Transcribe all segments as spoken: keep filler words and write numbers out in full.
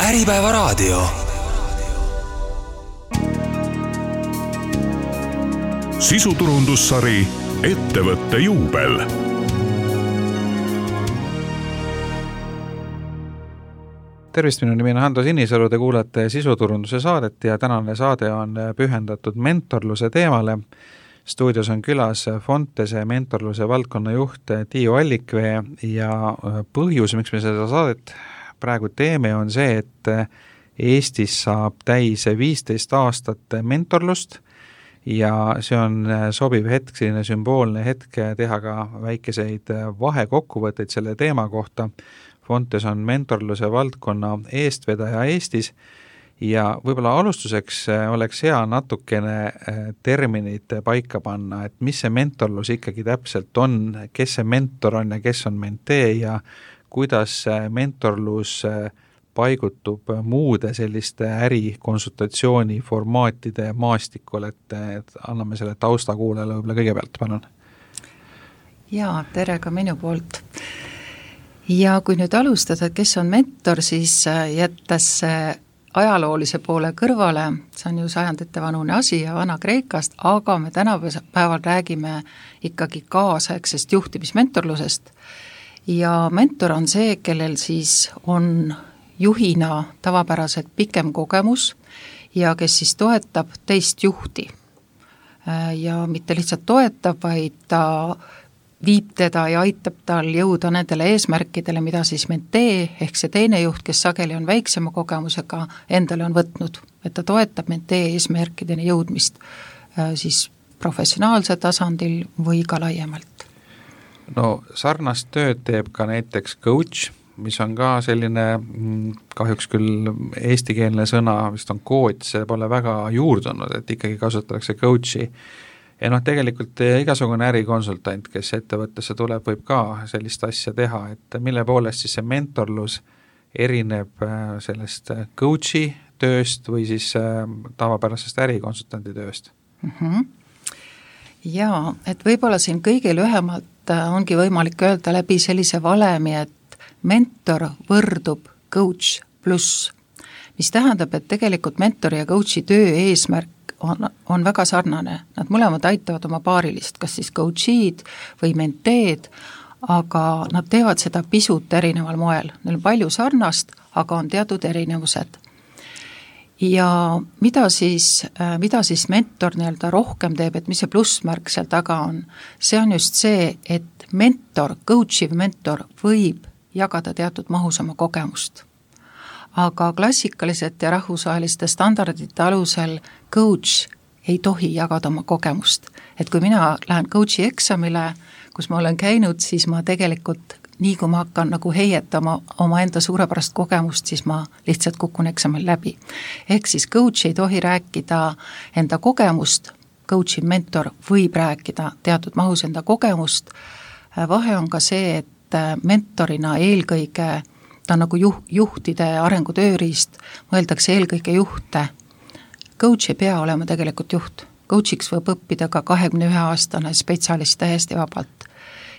Äripäevaraadio. Sisuturundussari Ettevõtte juubel. Tervist, minu nimi on Hando Sinisalu, te kuulate sisuturunduse saadet ja tänane saade on pühendatud mentorluse teemale. Stuudios on külas Fontese mentorluse valdkonna juht Tiiu Allikvee ja põhjus, miks me seda saadet praegu teeme, on see, et Eestis saab täis viisteist aastat mentorlust ja see on sobiv hetk, selline sümboolne hetk teha ka väikeseid vahekokkuvõtteid selle teema kohta. Fontes on mentorluse valdkonna eestvedaja Eestis ja võib-olla alustuseks oleks hea natukene terminid paika panna, et mis see mentorlus ikkagi täpselt on, kes see mentor on ja kes on mentee ja kuidas mentorlus paigutub muude selliste ärikonsultatsiooni formaatide maastikul, et, et anname selle tausta kuulele võib-olla kõigepealt, palun. Jaa, tere ka minu poolt. Ja kui nüüd alustada, kes on mentor, siis jättes ajaloolise poole kõrvale, see on ju sajandite vanune asi ja vana Kreekast, aga me tänapäeval räägime ikkagi kaasaegsest juhtimismentorlusest ja mentor on see, kellel siis on juhina tavapäraselt pikem kogemus ja kes siis toetab teist juhti ja mitte lihtsalt toetab, vaid ta viib teda ja aitab tal jõuda nendele eesmärkidele, mida siis mentee ehk see teine juht, kes sageli on väiksema kogemusega, endale on võtnud, et ta toetab mentee eesmärkideni jõudmist siis professionaalse tasandil või ka laiemalt. No sarnast tööd teeb ka näiteks coach, mis on ka selline kahjuks küll eestikeelne sõna, vist on coach, see pole väga juurdunud, et ikkagi kasutatakse coachi. Ja noh, tegelikult igasugune ärikonsultant, kes ettevõttesse tuleb, võib ka sellist asja teha, et mille poolest siis see mentorlus erineb sellest coachi tööst või siis tavapärasest ärikonsultandi tööst? Mm-hmm. Jaa, et võib-olla siin kõige lühemalt ongi võimalik öelda läbi sellise valemi, et mentor võrdub coach pluss, mis tähendab, et tegelikult mentori ja coachi töö eesmärk On, on väga sarnane. Nad mõlemad aitavad oma paarilist, kas siis coachid või menteed, aga nad teevad seda pisut erineval moel. Neil on palju sarnast, aga on teatud erinevused. Ja mida siis, mida siis mentor nii-öelda rohkem teeb, et mis see plussmärk seal taga on? See on just see, et mentor, coachiv mentor võib jagada teatud mahus oma kogemust. Aga klassikaliselt ja rahvusvaheliste standardite alusel coach ei tohi jagada oma kogemust. Et kui mina lähen coachi eksamile, kus ma olen käinud, siis ma tegelikult, nii kui ma hakkan nagu heietama oma enda suurepärast kogemust, siis ma lihtsalt kukun eksamil läbi. Ehk siis coach ei tohi rääkida enda kogemust, coachi mentor võib rääkida teatud mahus enda kogemust. Vahe on ka see, et mentorina eelkõige ta on nagu juh, juhtide arengutööriist, mõeldakse eelkõige juhte. Coach ei pea olema tegelikult juht. Coachiks võib õppida ka kahekümne ühe aastane spetsialist täiesti vabalt.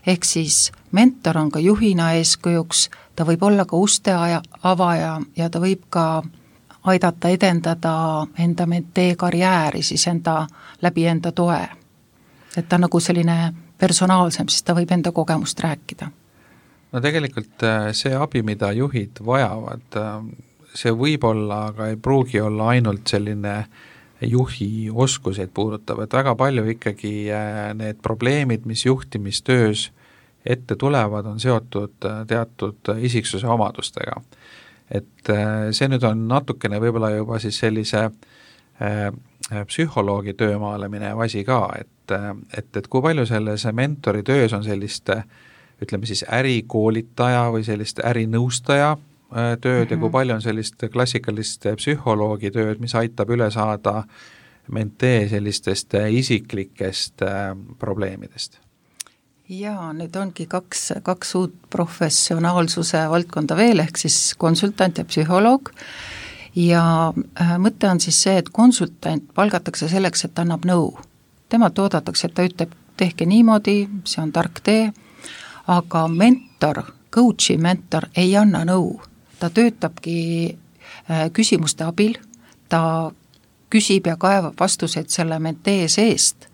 Ehk siis mentor on ka juhina eeskujuks, ta võib olla ka uste avaja ja ta võib ka aidata edendada enda mentee karjääri, siis enda, läbi enda toe. Et ta on nagu selline personaalsem, siis ta võib enda kogemust rääkida. No tegelikult see abi, mida juhid vajavad, see võib olla, aga ei pruugi olla ainult selline juhi oskuseid puudutav, et väga palju ikkagi need probleemid, mis juhtimistöös ette tulevad, on seotud teatud isiksuse omadustega. Et see nüüd on natukene võib-olla juba siis sellise psühholoogi töömaale minev asi ka, et, et, et kui palju selles mentori töös on sellist ütleme siis ärikoolitaja või sellist ärinõustaja tööd mm-hmm. ja kui palju on sellist klassikalist psühholoogi tööd, mis aitab üle saada mentee sellistest isiklikest probleemidest? Jaa, nüüd ongi kaks, kaks uut professionaalsuse valdkonda veel, ehk siis konsultant ja psühholoog. Ja mõte on siis see, et konsultant palgatakse selleks, et ta annab nõu. Tema toodatakse, et ta ütleb, tehke niimoodi, see on tark tee, aga mentor, coachi mentor ei anna nõu. Ta töötabki küsimuste abil, ta küsib ja kaevab vastuseid selle mentee seest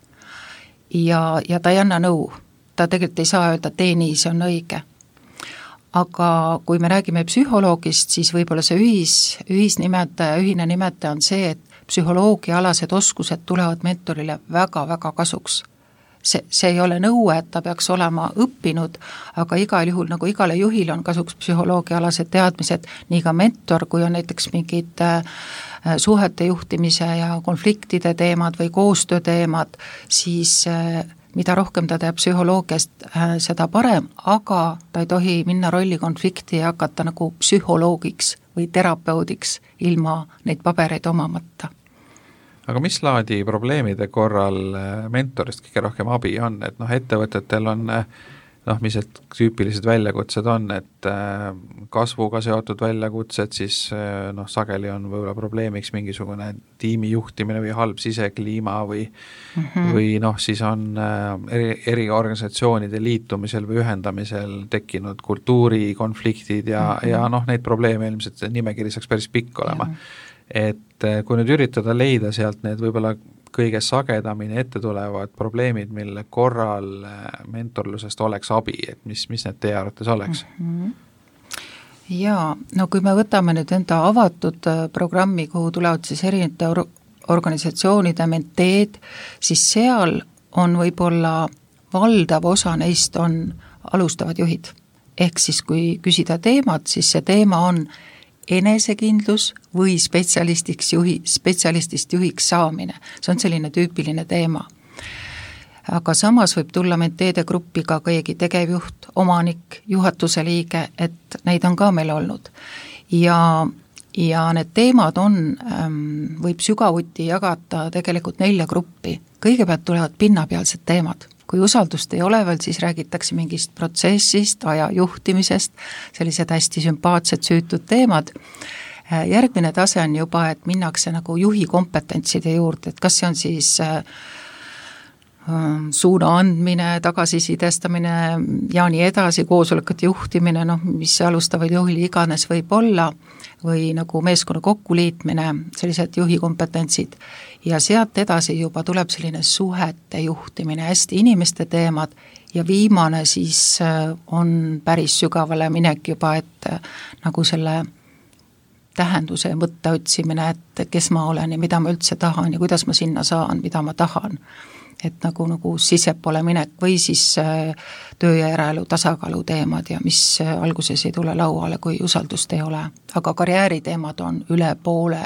ja, ja ta ei anna nõu, ta tegelikult ei saa öelda, tee nii, see on õige. Aga kui me räägime psühholoogist, siis võib-olla see ühis, ühisnimetaja, ühine nimetaja on see, et psühholoogiaalased oskused tulevad mentorile väga-väga kasuks. See, see ei ole nõue, et ta peaks olema õppinud, aga igal juhul nagu igale juhil on kasuks psühholoogiaalased teadmised, nii ka mentor, kui on näiteks mingid suhete juhtimise ja konfliktide teemad või koostöö teemad, siis mida rohkem ta teab psühholoogiast, seda parem, aga ta ei tohi minna rolli konflikti ja hakata nagu psühholoogiks või terapeudiks ilma neid pabereid omamata. Aga mis laadi probleemide korral mentorist kõige rohkem abi on, et noh, ettevõtetel on noh, mis need tüüpilised väljakutsed on, et kasvuga seotud väljakutsed, siis noh, sageli on võib-olla probleemiks mingisugune tiimi juhtimine või halb sisekliima või mm -hmm. või noh, siis on eri, eri organisatsioonide liitumisel või ühendamisel tekkinud kultuurikonfliktid ja, mm -hmm. ja noh, neid probleeme ilmselt nimekiri saaks päris pikk olema. Et kui nüüd üritada leida sealt need võib-olla kõige sagedamini ette tulevad probleemid, mille korral mentorlusest oleks abi, et mis, mis need teie arvates oleks? Mm-hmm. Jaa, no kui me võtame nüüd enda avatud programmi, kuhu tulevad siis erinevate or- organisatsioonide menteed, siis seal on võib-olla valdav osa neist on alustavad juhid. Ehk siis kui küsida teemat, siis see teema on enesekindlus või spetsialistiks juhi, spetsialistist juhiks saamine. See on selline tüüpiline teema. Aga samas võib tulla menteede gruppi ka keegi tegevjuht, omanik, juhatuse liige, et neid on ka meil olnud. Ja, ja need teemad on, võib sügavuti jagata tegelikult nelja gruppi. Kõigepealt tulevad pinnapealsed teemad. Kui usaldust ei ole veel, siis räägitakse mingist protsessist, aja juhtimisest, sellised hästi sümpaatsed süütud teemad. Järgmine tase on juba, et minnakse nagu juhi kompetentside juurde, et kas see on siis suuna andmine, tagasisidestamine ja nii edasi, koosolekute juhtimine, noh, mis alustavad juhil iganes võib olla, või nagu meeskonna kokkuliitmine, sellised juhi kompetentsid. Ja sealt edasi juba tuleb selline suhete juhtimine, hästi inimeste teemad ja viimane siis on päris sügavale minek juba, et nagu selle tähenduse ja mõtte otsimine, et kes ma olen ja mida ma üldse tahan ja kuidas ma sinna saan, mida ma tahan. Et nagu, nagu sisepole minek või siis töö ja eraelu tasakaalu teemad ja mis alguses ei tule lauale, kui usaldust ei ole. Aga karjääriteemad on üle poole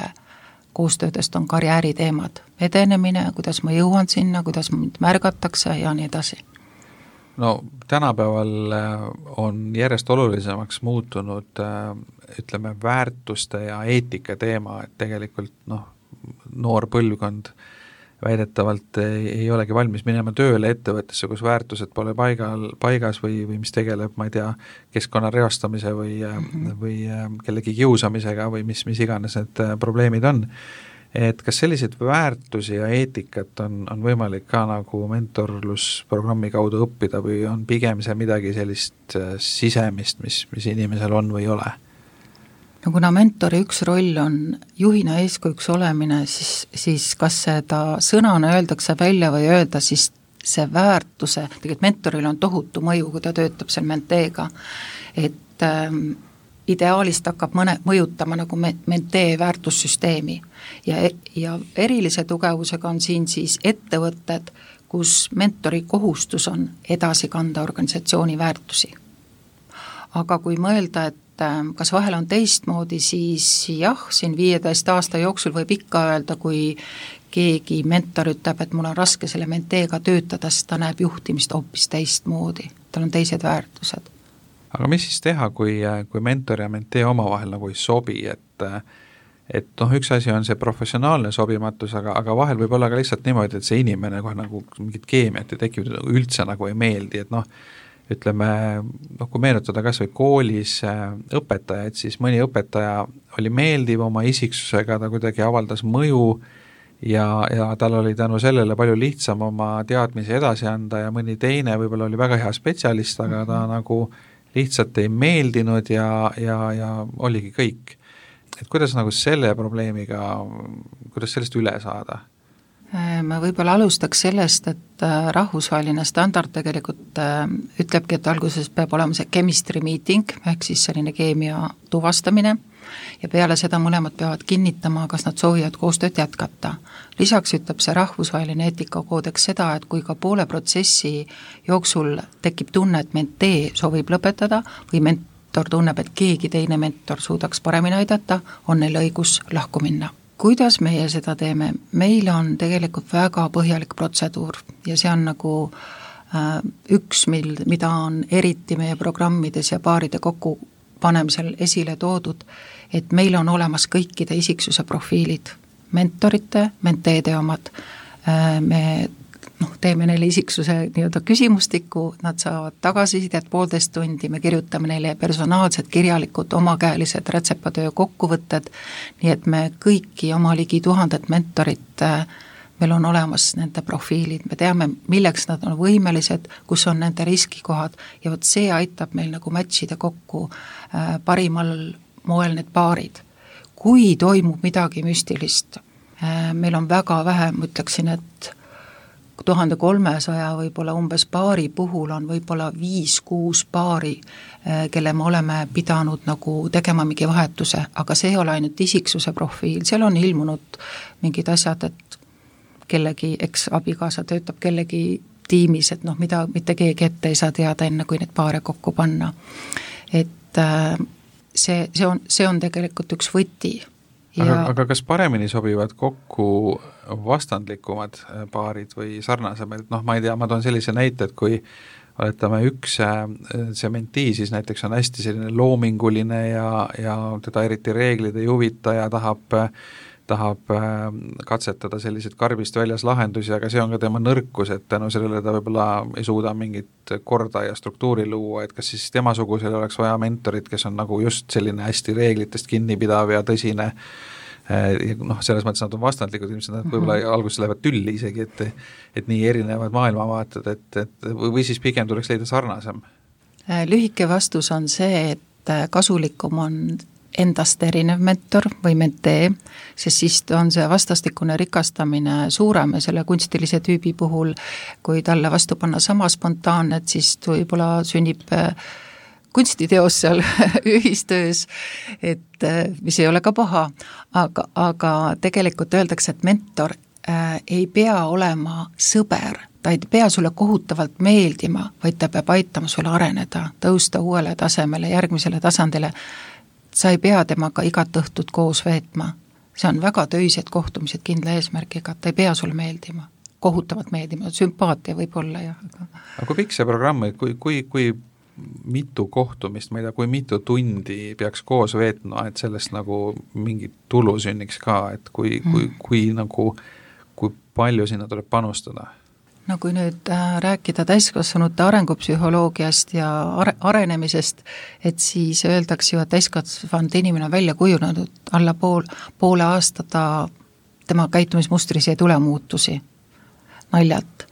koostöödest on karjääriteemad, edenemine, kuidas ma jõuan sinna, kuidas mind märgatakse ja nii edasi. No tänapäeval on järjest olulisemaks muutunud, ütleme, väärtuste ja eetika teema, et tegelikult noh, noor põlvkond väidetavalt ei, ei olegi valmis minema tööle ettevõttesse, kus väärtused pole paigal, paigas või, või mis tegeleb, ma ei tea, keskkonna reostamise või, mm-hmm. või kellegi kiusamisega või mis, mis iganes need probleemid on. Et kas selliseid väärtusi ja eetikat on, on võimalik ka nagu mentorlusprogrammi kaudu õppida või on pigem see midagi sellist sisemist, mis, mis inimesel on või ei ole? No kuna mentori üks roll on juhina eeskujuks olemine, siis, siis kas seda sõnana öeldakse välja või öelda, siis see väärtuse, tegelikult mentoril on tohutu mõju, kui ta töötab seal menteega, et ähm, ideaalist hakkab mõne, mõjutama nagu mentee väärtussüsteemi ja, ja erilise tugevusega on siin siis ettevõtted, kus mentori kohustus on edasi kanda organisatsiooni väärtusi. Aga kui mõelda, et kas vahel on teistmoodi, siis jah, siin viieteist aasta jooksul võib ikka öelda, kui keegi mentor ütleb, et mul on raske selle menteega töötada, sest ta näeb juhtimist hoopis teistmoodi, tal on teised väärtused. Aga mis siis teha, kui, kui mentor ja mentee omavahel nagu ei sobi, et et noh, üks asi on see professionaalne sobimatus, aga, aga vahel võib olla ka lihtsalt niimoodi, et see inimene kohe nagu mingit keemiat ei tekib, üldse nagu ei meeldi, et noh, ütleme, noh, kui meenutada kas või koolis õpetajaid, siis mõni õpetaja oli meeldiv oma isiksusega, ta kuidagi avaldas mõju ja, ja tal oli tänu sellele palju lihtsam oma teadmisi edasi anda ja mõni teine võib-olla oli väga hea spetsialist, aga ta nagu lihtsalt ei meeldinud ja, ja, ja oligi kõik. et kuidas nagu selle probleemiga, kuidas sellest üle saada? Ma võib-olla alustaks sellest, et rahvusvaheline standard tegelikult ütlebki, et alguses peab olema see chemistry meeting, ehk siis selline keemia tuvastamine, ja peale seda mõlemad peavad kinnitama, kas nad soovivad koostööd jätkata. Lisaks ütleb see rahvusvaheline eetikakoodeks seda, et kui ka poole protsessi jooksul tekib tunne, et mentee soovib lõpetada või mentor tunneb, et keegi teine mentor suudaks paremini aidata, on neil õigus lahku minna. Kuidas meie seda teeme? Meil on tegelikult väga põhjalik protseduur ja see on nagu äh, üks, mil, mida on eriti meie programmides ja paaride kokku panemisel esile toodud, et meil on olemas kõikide isiksuse profiilid, mentorite, menteede omad. Äh, me noh, teeme neile isiksuse nii-öelda küsimustiku, nad saavad tagasisidet poolteist tundi, me kirjutame neile personaalsed, kirjalikud, omakäelised rätsepatöö kokkuvõtted, nii et me kõiki oma ligi tuhandet mentorit, meil on olemas nende profiilid, me teame, milleks nad on võimelised, kus on nende riskikohad ja vot see aitab meil nagu matchida kokku parimal moel need paarid. Kui toimub midagi müstilist, meil on väga vähe, ma ütleksin, et tuhande kolmesaja võib-olla umbes paari puhul on võib-olla viis-kuus paari, kelle me oleme pidanud nagu tegema mingi vahetuse, aga see ei ole ainult isiksuse profiil, seal on ilmunud mingid asjad, et kellegi eks-abikaasa töötab kellegi tiimis, et noh, mida mitte keegi ette ei saa teada enne, kui need paare kokku panna. Et see, see, on, see on tegelikult üks võti. Ja aga, aga kas paremini sobivad kokku vastandlikumad paarid või sarnasemad? Noh, ma ei tea, ma toon sellise näite, et kui oletame üks see mentii, siis näiteks on hästi selline loominguline ja, ja teda eriti reeglid ei huvita ja tahab, tahab katsetada selliseid karbist väljas lahendusi, aga see on ka tema nõrkus, et tänu sellele ta võib-olla ei suuda mingit korda ja struktuuri luua, et kas siis temasugusel oleks vaja mentorit, kes on nagu just selline hästi reeglitest kinnipidav ja tõsine, noh, selles mõttes nad on vastandlikud, ilmselt nad võib-olla mm-hmm. alguses lähevad tülli isegi, et, et nii erinevad maailmavaated, et, et või siis pigem tuleks leida sarnasem? Lühike vastus on see, et kasulikum on endast erinev mentor või mentee, sest siis on see vastastikune rikastamine suurem ja selle kunstilise tüübi puhul, kui talle vastu panna sama spontaanne, et siis võib-olla sünnib kunstiteos seal ühistöös, et mis ei ole ka paha, aga, aga tegelikult öeldakse, et mentor äh, ei pea olema sõber, ta ei pea sulle kohutavalt meeldima, vaid ta peab aitama sulle areneda, tõusta uuele tasemele, järgmisele tasandile. Sa ei pea temaga igat õhtut koos veetma. See on väga töised kohtumised kindla eesmärgiga, ta ei pea sulle meeldima, kohutavalt meeldima, sümpaatia võib olla. Ja, aga... aga kui pikk see programm, kui, kui, kui mitu kohtumist, ma ei tea, kui mitu tundi peaks koos veetma, et sellest nagu mingi tulu sünniks ka, et kui, kui, kui, kui, nagu, kui palju sinna tuleb panustada? No kui nüüd rääkida täiskasvanute arengupsühholoogiast ja are- arenemisest, et siis öeldakse ju, et täiskasvanud inimene on välja kujunenud alla pool, poole aasta ta, tema käitumismustris ei tule muutusi, naljalt.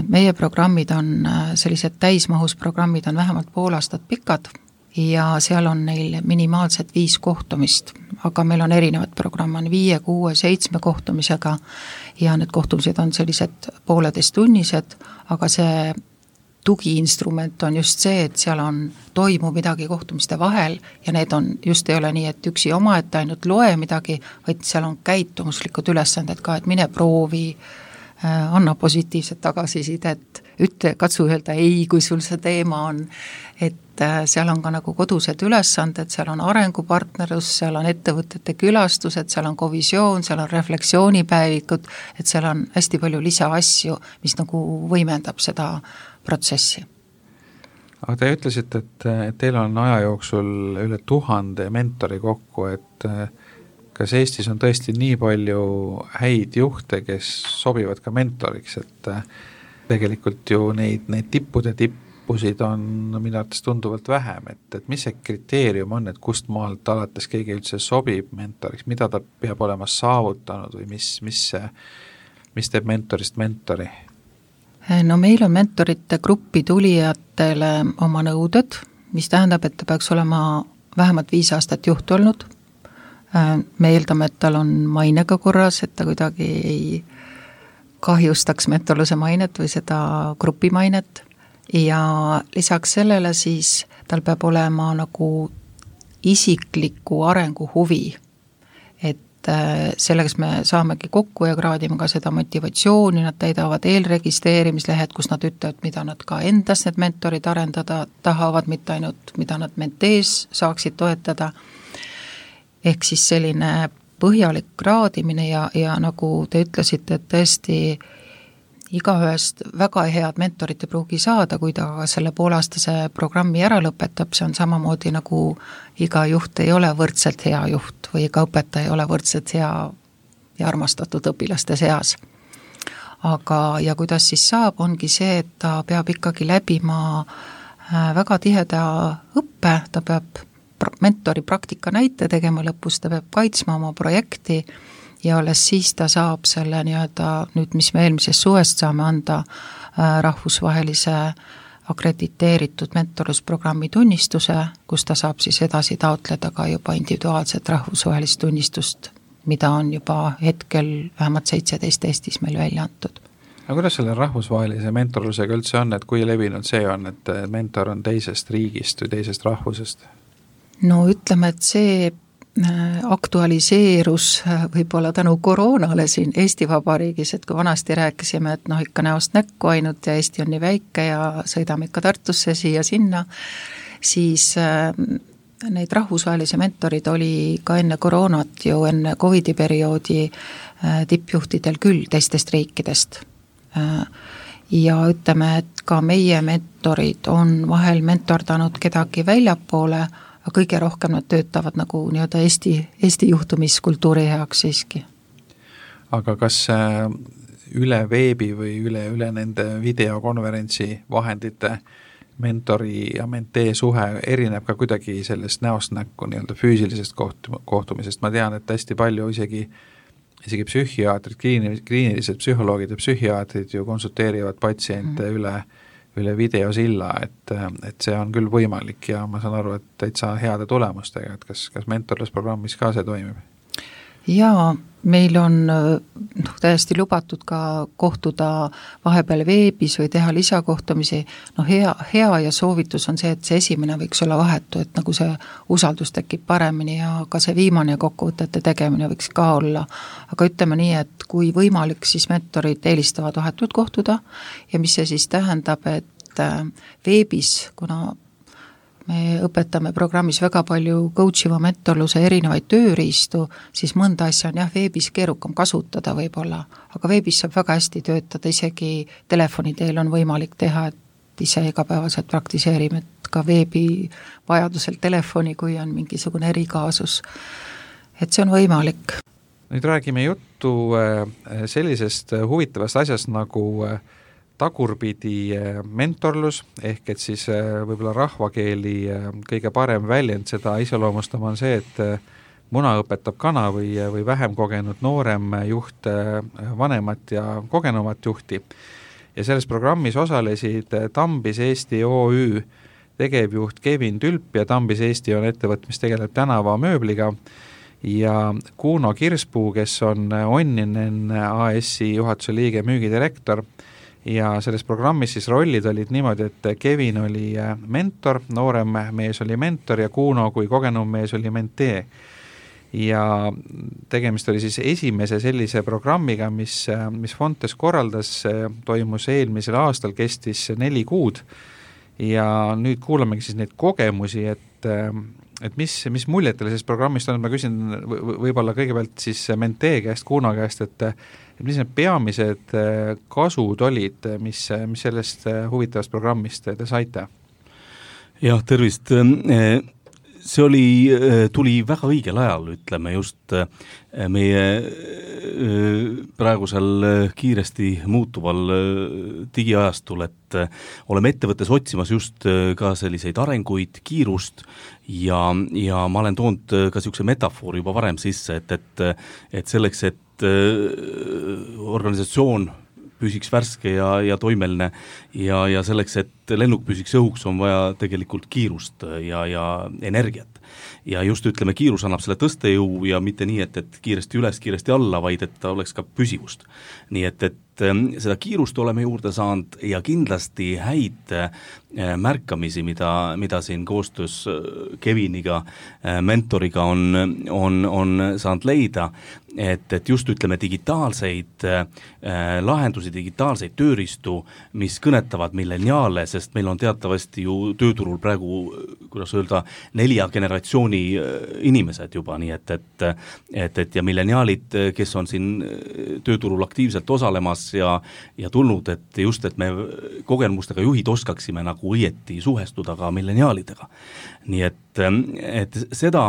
Meie programmid on sellised täismahus programmid on vähemalt pool aastat pikad ja seal on neil minimaalselt viis kohtumist, aga meil on erinevad programm, on viie, kuue, seitsme kohtumisega ja need kohtumised on sellised pooleteist tunnised, aga see tugiinstrument on just see, et seal on, toimub midagi kohtumiste vahel ja need on, just ei ole nii, et üksi oma, et ainult loe midagi, vaid seal on käitumuslikud ülesanded ka, et mine proovi, anna positiivset tagasisidet, ütle, katsu öelda ei, kui sul see teema on, et seal on ka nagu kodused ülesanded, seal on arengupartnerlus, seal on ettevõtete külastused, seal on kovisioon, seal on refleksioonipäevikud, et seal on hästi palju lisaasju, mis nagu võimendab seda protsessi. Aga te ütlesite, et, et teil on aja jooksul üle tuhande mentori kokku, et kas Eestis on tõesti nii palju häid juhte, kes sobivad ka mentoriks, et tegelikult ju neid, neid tippude tippusid on minu arvates tunduvalt vähem, et, et mis see kriteerium on, et kust maalt alates keegi üldse sobib mentoriks, mida ta peab olema saavutanud või mis, mis, mis teeb mentorist mentori? No meil on mentorite gruppi tulijatele oma nõuded, mis tähendab, et ta peaks olema vähemalt viis aastat juht olnud, me eeldame, et tal on mainega korras, et ta kuidagi ei kahjustaks mentorluse mainet või seda grupi mainet ja lisaks sellele siis tal peab olema nagu isikliku arengu huvi, et selleks me saamegi kokku ja kraadime ka seda motivatsiooni, nad täidavad eelregistreerimislehed, kus nad ütlevad, mida nad ka endas need mentorid arendada tahavad, mitte ainult, mida nad mentees saaksid toetada. Ehk siis selline põhjalik kraadimine ja, ja nagu te ütlesite, et tõesti igaühest väga head mentorit ei pruugi saada, kui ta selle poolaastase programmi ära lõpetab, see on samamoodi nagu iga juht ei ole võrdselt hea juht või iga õpetaja ei ole võrdselt hea ja armastatud õpilaste seas. Aga ja kuidas siis saab, ongi see, et ta peab ikkagi läbima väga tiheda õppe, ta peab mentori praktika näite tegema lõpus, ta peab kaitsma oma projekti ja alles siis ta saab selle nii-öelda, nüüd mis me eelmisest suvest saame anda rahvusvahelise akrediteeritud mentorlusprogrammi tunnistuse, kus ta saab siis edasi taotleda ka juba individuaalset rahvusvahelist tunnistust, mida on juba hetkel vähemalt seitseteist Eestis meil välja antud. Aga kuidas selle rahvusvahelise mentorlusega üldse on, et kui levinud see on, et mentor on teisest riigist või teisest rahvusest? No ütleme, et see aktualiseerus võib-olla tänu koroonale siin Eesti Vabariigis, et kui vanasti rääkisime, et noh ikka näost näkku ainult ja Eesti on nii väike ja sõidame ikka Tartusse siia-sinna, siis neid rahvusvahelisi mentorid oli ka enne koroonat ju enne Covidi perioodi tippjuhtidel küll teistest riikidest. Ja ütleme, et ka meie mentorid on vahel mentordanud kedagi väljapoole, aga kõige rohkem nad töötavad nagu nii-öelda Eesti, Eesti juhtumiskultuuri heaks siiski. Aga kas üle veebi või üle, üle nende videokonverentsi vahendite mentori ja mentee suhe erineb ka kuidagi sellest näost näkku nii-öelda füüsilisest kohtumisest? Ma tean, et hästi palju isegi, isegi psühhiaatrid, kliinilised psühholoogid ja psühhiaatrid ju konsulteerivad patsiente mm. üle üle videosilla, et, et see on küll võimalik ja ma saan aru, et täitsa heade tulemustega, et kas, kas mentorlusprogrammis ka see toimib? Jaa, meil on noh, täiesti lubatud ka kohtuda vahepeal veebis või teha lisakohtumisi, no hea, hea ja soovitus on see, et see esimene võiks olla vahetu, et nagu see usaldus tekib paremini ja ka see viimane kokkuvõtete tegemine võiks ka olla, aga ütleme nii, et kui võimalik, siis mentorid eelistavad vahetult kohtuda ja mis see siis tähendab, et veebis, kuna me õpetame programmis väga palju coachiva mentorluse erinevaid tööriistu, siis mõnda asja on jah veebis keerukam kasutada võib-olla, aga veebis saab väga hästi töötada, isegi telefoni teel on võimalik teha, et ise igapäevaselt praktiseerime, et ka veebi vajadusel telefoni, kui on mingisugune erikaasus, et see on võimalik. Nüüd räägime juttu sellisest huvitavast asjast nagu tagurpidi mentorlus, ehk et siis võib-olla rahvakeeli kõige parem väljend seda iseloomustama on see, et muna õpetab kana või, või vähem kogenud noorem juht vanemat ja kogenumat juhti. Ja selles programmis osalesid Tambis Eesti O Ü tegevjuht Kevin Tülp ja Tambis Eesti on ettevõtt, mis tegeleb tänavamööbliga ja Kuno Kirspuu, kes on Onninen A S-i juhatuse liige müügidirektor. Ja selles programmis siis rollid olid niimoodi, et Kevin oli mentor, noorem mees oli mentor ja Kuno kui kogenum mees oli mentee. Ja tegemist oli siis esimese sellise programmiga, mis, mis Fontes korraldas, toimus eelmisel aastal, kestis neli kuud ja nüüd kuulamegi siis neid kogemusi, et, et mis, mis muljetele sellest programmist on, ma küsin võib-olla kõigepealt siis mentee käest, Kuno käest, et et mis need peamised kasud olid, mis, mis sellest huvitavast programmist te saite? Jah, tervist. See oli, tuli väga õigel ajal, ütleme just meie praegusel kiiresti muutuval digiajastul, et oleme ettevõttes otsimas just ka selliseid arenguid, kiirust ja, ja ma olen toonud ka niisuguse metafoori juba varem sisse, et, et, et selleks, et organisatsioon püsiks värske ja, ja toimeline ja, ja selleks, et lennuk püsiks õhuks, on vaja tegelikult kiirust ja, ja energiat. Ja just ütleme, kiirus annab selle tõstejõu ja mitte nii, et, et kiiresti üles, kiiresti alla, vaid et ta oleks ka püsivust. Nii et, et seda kiirust oleme juurde saanud ja kindlasti häid märkamisi, mida, mida siin koostöös Keviniga, mentoriga on, on, on saanud leida, et, et just ütleme digitaalseid lahendusi, digitaalseid tööriistu, mis kõnetavad milleniaale, sest meil on teatavasti ju tööturul praegu, kuidas öelda, nelja generatsiooni inimesed juba, nii et, et, et, et ja milleniaalid, kes on siin tööturul aktiivselt osalemas ja, ja tulnud, et just, et me kogemustega juhid oskaksime nagu õieti suhestuda ka milleniaalidega. Nii et, et seda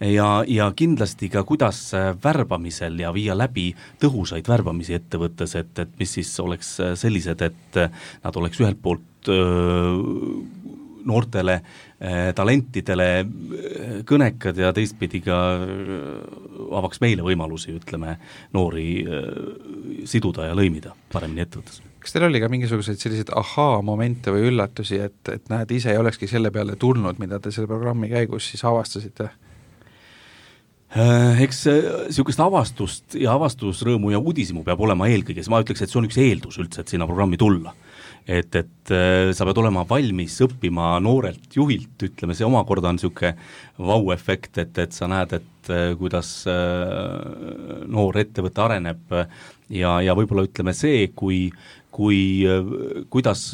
ja, ja kindlasti ka kuidas värbamisel ja viia läbi tõhusaid värbamisi ettevõttes, et, et mis siis oleks sellised, et nad oleks ühelt poolt öö, noortele talentidele kõnekad ja teistpidi ka avaks meile võimalusi, ütleme, noori siduda ja lõimida paremini ettevõttes. Kas teil oli ka mingisuguseid selliseid ahaa-momente või üllatusi, et, et näed, ise ei olekski selle peale tulnud, mida te selle programmi käigus siis avastasite? Eks niisugust avastust ja avastusrõõmu ja uudisimu peab olema eelkõige, ma ütleks, et see on üks eeldus üldse, et sinna programmi tulla. Et, et sa pead olema valmis õppima noorelt juhilt, ütleme, see omakorda on niisugune vau-efekt, et, et sa näed, et kuidas noor ettevõte areneb ja, ja võib-olla ütleme see, kui kui, kuidas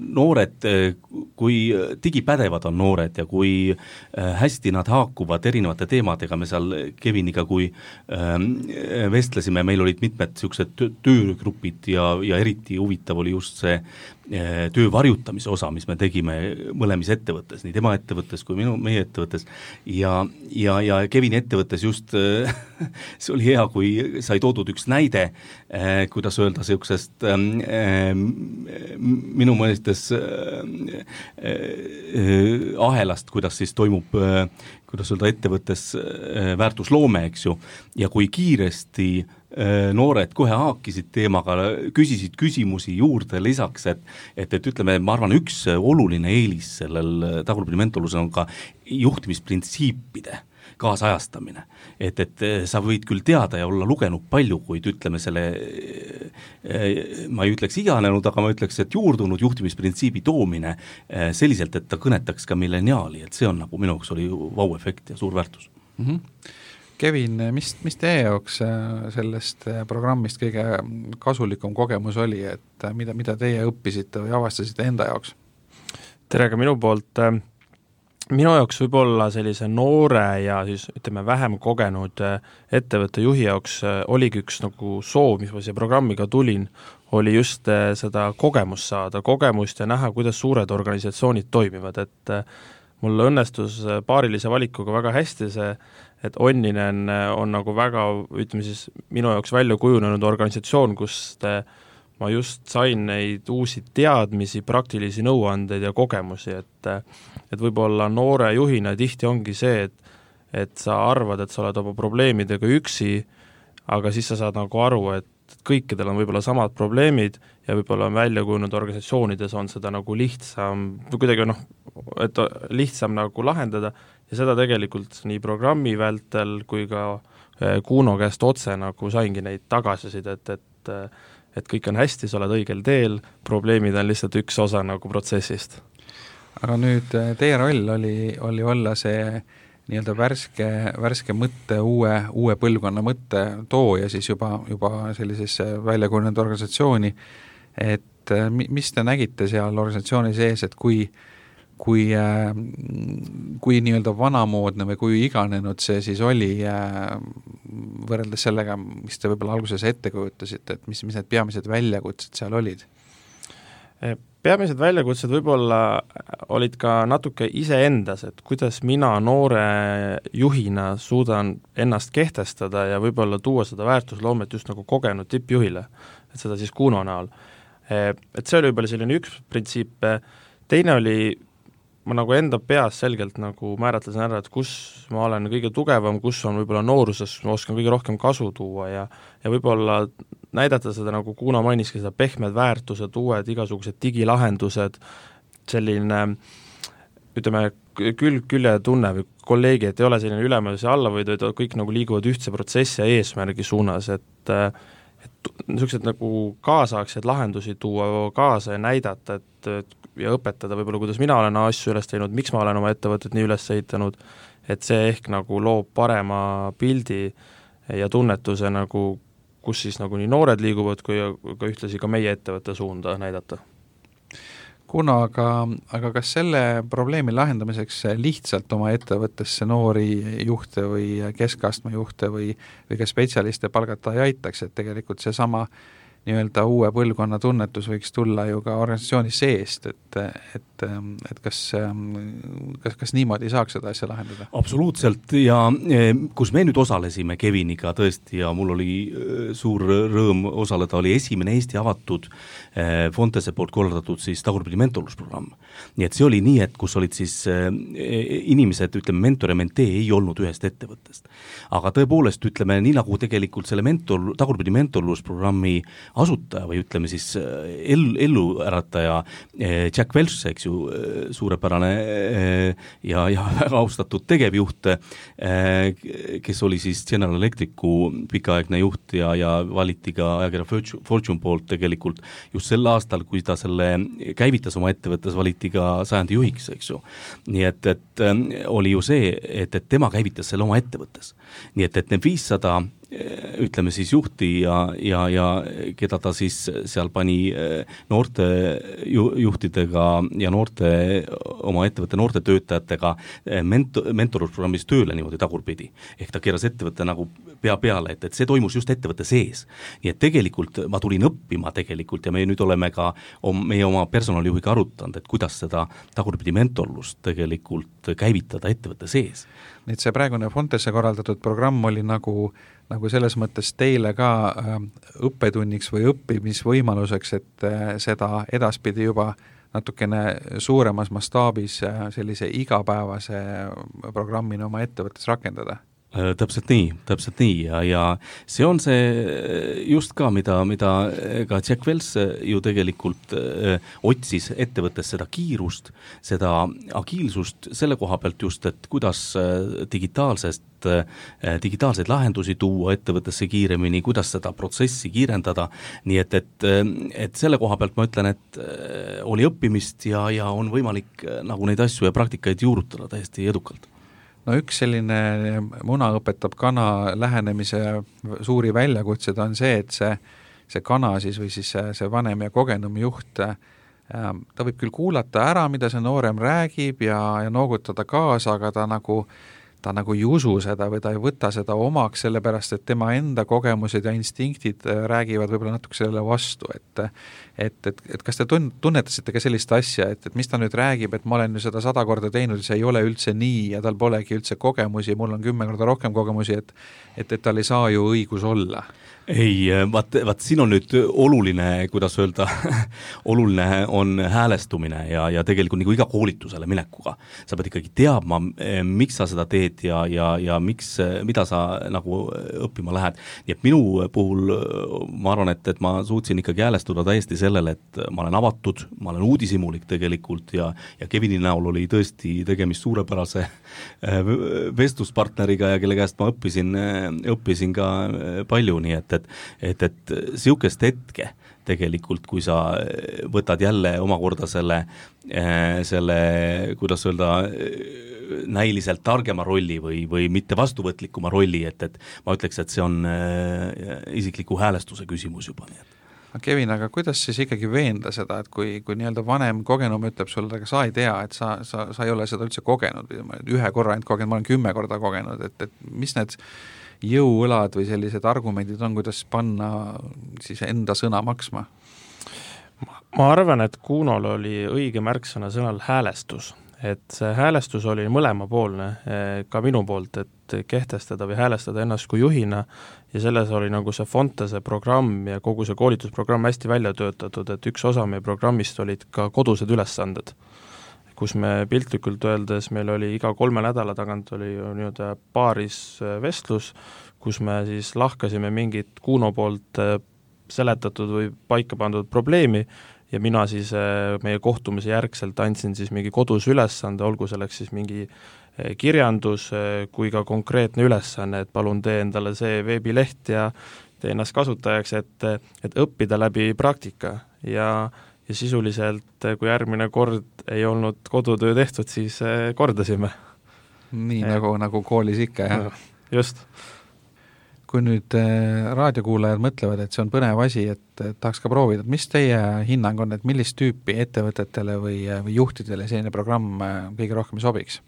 noored, kui digipädevad on noored ja kui hästi nad haakuvad erinevate teemadega, me seal Keviniga, kui vestlesime, meil olid mitmed niisugused töögrupid ja, ja eriti huvitav oli just see töö varjutamise osa, mis me tegime mõlemis ettevõttes, nii tema ettevõttes kui minu, meie ettevõttes ja, ja, ja Kevini ettevõttes just see oli hea, kui sai toodud üks näide, kuidas öelda niisugusest minu mõistes ahelast, kuidas siis toimub, kuidas öelda, ettevõttes väärtusloome, eks ju, ja kui kiiresti noored kohe haakisid teemaga, küsisid küsimusi juurde lisaks, et, et, et ütleme, ma arvan, üks oluline eelis sellel tagurpidi mentorlusel on ka juhtimisprintsiipide kaasajastamine. Et, et sa võid küll teada ja olla lugenud palju, kuid ütleme selle, ma ei ütleks iganenud, aga ma ütleks, et juurdunud juhtimisprintsiibi toomine selliselt, et ta kõnetaks ka milleniaali, et see on nagu minu jaoks oli vau-efekt ja suur väärtus. Mm-hmm. Kevin, mis, mis teie jaoks sellest programmist kõige kasulikum kogemus oli, et mida, mida teie õppisite või avastasite enda jaoks? Tere ka minu poolt. Minu jaoks võib olla sellise noore ja siis ütleme vähem kogenud ettevõtte juhi jaoks oligi üks nagu soov, mis ma siia programmiga tulin, oli just seda kogemust saada, kogemust ja näha, kuidas suured organisatsioonid toimivad, et mul õnnestus paarilise valikuga väga hästi see, et Onninen on nagu väga, ütleme siis, minu jaoks välja kujunenud organisatsioon, kus te, ma just sain neid uusi teadmisi, praktilisi nõuandeid ja kogemusi, et, et võib-olla noore juhina tihti ongi see, et, et sa arvad, et sa oled oma probleemidega üksi, aga siis sa saad nagu aru, et kõikidel on võib-olla samad probleemid ja võib-olla välja kujunenud organisatsioonides on seda nagu lihtsam, kuidagi noh, et lihtsam nagu lahendada ja seda tegelikult nii programmi vältel kui ka Kuno käest otse nagu saingi neid tagasisida, et, et, et kõik on hästi, sa oled õigel teel, probleemid on lihtsalt üks osa nagu protsessist. Aga nüüd teie roll oli, oli olla see nii-öelda värske, värske mõtte, uue, uue põlvkonna mõtte tooja siis juba, juba sellisesse väljakujunenud organisatsiooni, et mis te nägite seal organisatsiooni sees, et kui kui, kui nii-öelda vanamoodne või kui iganenud see siis oli võrreldes sellega, mis te võib-olla alguses ette kujutasite, et mis, mis need peamised väljakutsed seal olid? Peamised väljakutsed võib-olla olid ka natuke iseendas, et kuidas mina noore juhina suudan ennast kehtestada ja võib-olla tuua seda väärtusloomet just nagu kogenud tippjuhile, et seda siis Kuno näol. Et see oli võib-olla selline üks printsiip, teine oli ma nagu enda peas selgelt nagu määratlesin ära, et kus ma olen kõige tugevam, kus on võib-olla nooruses, ma oskan kõige rohkem kasu tuua ja, ja võib-olla näidata seda, nagu Kuno mainiski, seda pehmed väärtused, uued igasugused digilahendused, selline ütleme, külg külje tunne või kolleegi, et ei ole selline ülemus ja allavõidu, et kõik nagu liiguvad ühtse protsessi ja eesmärgi suunas, et et niisugused nagu kaasaegseid lahendusi tuua kaasa ja näidata, et, et ja õpetada võib-olla, kuidas mina olen asju üles teinud, miks ma olen oma ettevõtet nii üles ehitanud, et see ehk nagu loob parema pildi ja tunnetuse nagu, kus siis nagu nii noored liiguvad, kui ka ühtlasi ka meie ettevõtte suunda näidata. Kuno, aga, aga kas selle probleemi lahendamiseks lihtsalt oma ettevõttesse noori juhte või keskastme juhte või, või ka spetsialiste palgata ei aitaks, et tegelikult see sama nii-öelda uue põlvkonna tunnetus võiks tulla ju ka organisatsiooni seest, et, et, et kas, kas, kas niimoodi saaks seda asja lahendada? Absoluutselt ja kus me nüüd osalesime Keviniga tõesti ja mul oli suur rõõm osaleda, oli esimene Eesti avatud Fontese poolt korraldatud siis tagurpidi mentorlusprogramm. Nii et see oli nii, et kus olid siis inimesed, ütleme, mentor ja mentee ei olnud ühest ettevõttest. Aga tõepoolest, ütleme, nii nagu tegelikult selle mentor, tagurpidi mentorlusprogrammi asutaja või ütleme siis ellu, ellu ärataja Jack Welch, eks ju, suurepärane ja, ja väga austatud tegevjuht, kes oli siis General Electricu pikaaegne juht ja, ja valiti ka ajakirja Fortune poolt tegelikult just sel aastal, kui ta selle käivitas oma ettevõttes, valiti ka sajandi juhiks, eks ju. Nii et, et oli ju see, et, et tema käivitas selle oma ettevõttes. Nii et, et need viissada ütleme siis juhti ja, ja, ja keda ta siis seal pani noorte juhtidega ja noorte, oma ettevõtte noorte töötajatega mentor, mentorusprogrammis tööle niimoodi tagurpidi. Ehk ta keeras ettevõtte nagu pea peale, et, et see toimus just ettevõtte sees. Nii et tegelikult ma tulin õppima tegelikult ja me nüüd oleme ka meie oma personalijuhiga arutanud, et kuidas seda tagurpidi mentorlust tegelikult käivitada ettevõtte sees. Nii et see praegune Fontesse korraldatud programm oli nagu nagu selles mõttes teile ka õppetunniks või õppimisvõimaluseks, et seda edaspidi juba natukene suuremas mastaabis sellise igapäevase programmina oma ettevõttes rakendada? Täpselt nii, täpselt nii ja, ja see on see just ka, mida, mida ka Jack Welch ju tegelikult öö, otsis ettevõttes seda kiirust, seda agiilsust selle koha pealt just, et kuidas digitaalsest digitaalseid lahendusi tuua ettevõttesse kiiremini, kuidas seda protsessi kiirendada, nii et, et, et selle koha pealt ma ütlen, et oli õppimist ja, ja on võimalik nagu neid asju ja praktikaid juurutada täiesti edukalt. No üks selline muna õpetab kana lähenemise suuri väljakutsed on see, et see, see kana siis või siis see, see vanem ja kogenum juht, ta võib küll kuulata ära, mida see noorem räägib ja, ja noogutada kaasa, aga ta nagu ta nagu ei usu seda või ta ei võta seda omaks, sellepärast et tema enda kogemused ja instinktid räägivad võib-olla natuke sellele vastu, et et, et, et kas te tunnetasite ka sellist asja, et, et mis ta nüüd räägib, et ma olen ju seda sada korda teinud, see ei ole üldse nii ja tal polegi üldse kogemusi, mul on kümme korda rohkem kogemusi, et, et, et tal ei saa ju õigus olla? Ei, vaat, vaat siin on nüüd oluline, kuidas öelda, oluline on häälestumine ja, ja tegelikult nagu iga koolitusele minekuga. Sa pead ikkagi teadma, miks sa seda teed ja, ja, ja miks, mida sa nagu õppima lähed. Nii et minu puhul ma arvan, et, et ma suutsin ikkagi häälestuda täiesti sellele, et ma olen avatud, ma olen uudishimulik tegelikult ja, ja Kevini näol oli tõesti tegemist suurepärase vestluspartneriga ja kelle käest ma õppisin, õppisin ka palju, nii et et, et, et siukest hetke tegelikult, kui sa võtad jälle omakorda selle, selle, kuidas öelda, näiliselt targema rolli või, või mitte vastuvõtlikuma rolli, et, et ma ütleks, et see on isikliku häälestuse küsimus juba, nii et Kevin, aga kuidas siis ikkagi veenda seda, et kui, kui nii-öelda vanem kogenum ütleb sulle, aga sa ei tea, et sa, sa, sa ei ole seda üldse kogenud, ühe korra ainult kogenud, ma olen kümme korda kogenud, et, et mis need jõuõlad või sellised argumendid on, kuidas panna siis enda sõna maksma? Ma arvan, et Kunol oli õige märksõna sõnal häälestus, et see häälestus oli mõlemapoolne ka minu poolt, et kehtestada või häälestada ennast kui juhina ja selles oli nagu see Fontese programm ja kogu see koolitusprogramm hästi välja töötatud, et üks osa meie programmist olid ka kodused ülesanded, kus me piltlikult öeldes, meil oli iga kolme nädala tagant oli nii-öelda paaris vestlus, kus me siis lahkasime mingit Kuno poolt seletatud või paika pandud probleemi ja mina siis meie kohtumise järgselt andsin siis mingi kodus ülesande, olgu selleks siis mingi kirjandus kui ka konkreetne ülesanne, et palun tee endale see veebileht ja tee ennast kasutajaks, et, et õppida läbi praktika ja, ja sisuliselt, kui järgmine kord ei olnud kodutöö tehtud, siis kordasime. Nii ja. nagu, nagu koolis ikka, jah? Just. Kui nüüd raadiokuulajad mõtlevad, et see on põnev asi, et tahaks ka proovida, et mis teie hinnang on, et millist tüüpi ettevõtetele või, või juhtidele selline programm kõige rohkem sobiks?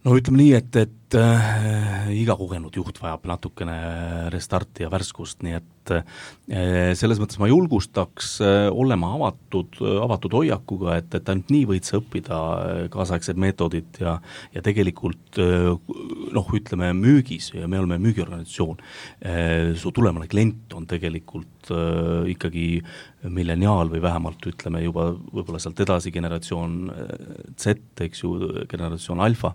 No ütleme nii, et, et äh, iga kogenud juht vajab natukene restarti ja värskust, nii et äh, selles mõttes ma julgustaks äh, olema avatud, avatud hoiakuga, et, et ainult nii võid sa õppida kaasaegsed meetodid ja, ja tegelikult äh, noh, ütleme müügis, ja me oleme müügiorganisatsioon, äh, su tulemane klient on tegelikult äh, ikkagi milleniaal või vähemalt ütleme juba võib-olla sealt edasi generatsioon Z, eks ju, generatsioon alfa